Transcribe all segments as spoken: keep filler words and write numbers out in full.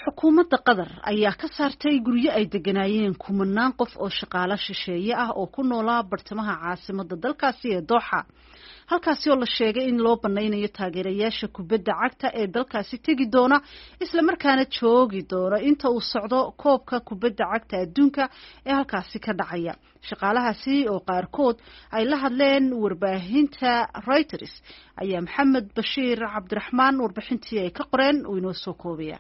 Xukuumadda Qatar ayaa ka saartay guryo ay deganaayeen kumanaan qof oo shaqaalo shisheeye ah oo ku noolaa bartamaha caasimadda dalkaasi ee Dooxa, halkaasi oo la sheegay in loo banaynayo taageerayaasha kubadda cagta ee dalkaasi tegi doona islamarkaana joogi doona inta uu socdo koobka kubadda cagta adduunka ee halkaasi ka dhacaya. Shaqaalahaasi oo qaarkood ay la hadleen warbaahinta Reuters ayaa Maxamed Bashiir Cabdiraxmaan warbixintii ay ka qoreen uu inoo soo koobaya.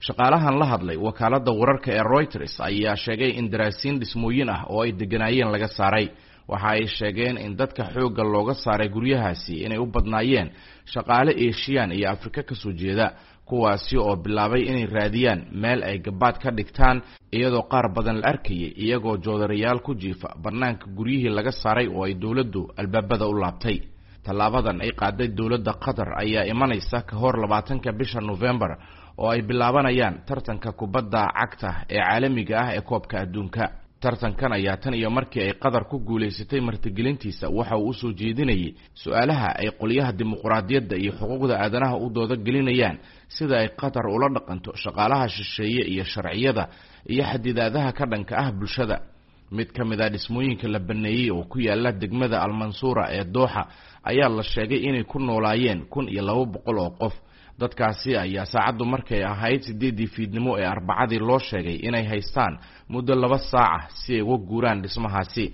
Shaqaalahan la hadlay wakaaladda wararka ee Reuters ayaa sheegay in daraasiin dhismooyin ah oo ay degganaayeen laga saaray. Waxa ay sheegeen in dadka xoogga looga saaray guryahaasi inay u badnaayeen shaqaale Eeshiyaan iyo Afrika ka soo jeeda, kuwaasi oo bilaabay inay raadiyaan meel ay gabaad ka dhigtaan, iyadoo qaar badan la arkayay iyagoo joodarayaal ku jiifa bannaanka guryihii laga saaray oo ay dowladdu albaabada u laabtay. Tallaabadan ay qaaday dowladda Qatar ayaa imanaysa ka hor labaatanka bisha Nofembar oo ay bilaabanayaan tartanka kubadda cagta ee caalamiga ah ee koobka adduunka. Tartankan ayaa tan iyo markii ay Qatar ku guulaysatay martigelintiisa waxa uu usoo jeedinayay su-aalaha ay qolyaha dimuquraadiyadda iyo xuquuqda aadanaha u dooda gelinayaan sida ay Qatar ula dhaqanto shaqaalaha shisheeye iyo sharciyada iyo xadidaadaha ka dhanka ah bulshada. Mid ka mid a dhismooyinka la baneeyey oo ku yaala degmada Almansuura ee Dooxa ayaa la sheegay inay ku noolaayeen kun iyo laba boqol oo qof. Dadkaasi ayaa saacaddu markay ahayd sideeddii fiidnimo ee Arbacadii loo sheegay inay haystaan muddo laba saaca si ay uga guuraan dhismahaasi.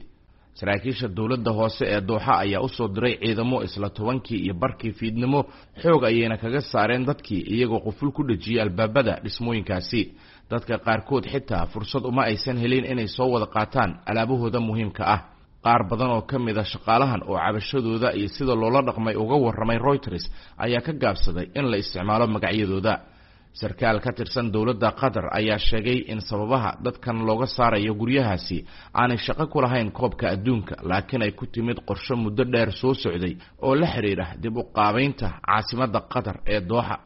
Saraakiisha dowladda hoose ee Dooxa ayaa usoo diray ciidamo isla tobankii iyo barkii fiidnimo, xoog ayayna kaga saareen dadkii iyagoo quful ku dhejiyey albaabada dhismooyinkaasi. Dadka qaarkood xitaa fursad uma aysan helin inay soo wada qaataan alaabahooda muhiimka ah. Qaar badan oo ka mid a shaqaalahan oo cabashadooda iyo sida loola dhaqmay uga warramay Reuters ayaa ka gaabsaday in la isticmaalo magacyadooda. Sarkaal ka tirsan dowladda Qatar ayaa sheegay in sababaha dadkan looga saarayo guryahaasi aanay shaqo ku lahayn koobka adduunka, laakiin ay ku timid qorsho muddo dheer soo socday oo la xidhiidha dib u qaabaynta caasimadda Qatar ee Dooxa.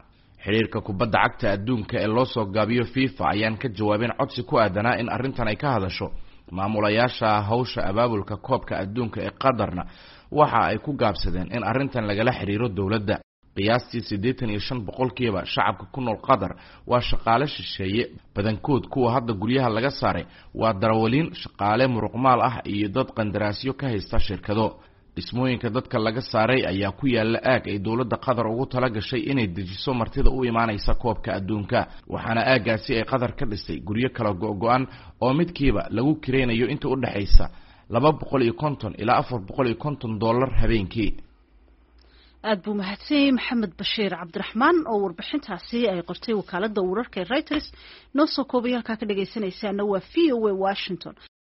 Xidhiirka kubadda cagta adduunka ee loo soo gaabiyo FIFA ayaan ka jawaabin codsi ku aadanaa in arrintan ay ka hadasho. Maamulayaasha hawsha abaabulka koobka adduunka ee Qatarna waxa ay ku gaabsadeen in arrintan lagala xidhiiro dowladda. Qiyaastii siddeetan iyo shan boqolkiiba shacabka ku nool Qatar waa shaqaale shisheeye. Badankood kuwa hadda guryaha laga saaray waa darawaliin, shaqaale muruqmaal ah iyo dad qandaraasyo ka haysta shirkado. Dhismooyinka dadka laga saaray ayaa ku yaala aag ay dowladda Qatar ugu tala gashay inay dejiso martida u imaanaysa koobka adduunka, waxaana aaggaasi ay Qatar ka dhistay guryo kala go-go-an oo midkiiba lagu kiraynayo inta u dhexaysa laba boqol iyo konton ilaa afar boqol iyo konton dollar habeenkii. Aada buu mahadsanyay Maxamed Bashiir Cabdiraxmaan oo warbixintaasi ay qortay wakaaladda wararka ee Reuters noo soo koobay. Halkaa ka dhagaysanaysaana waa V O A Washington.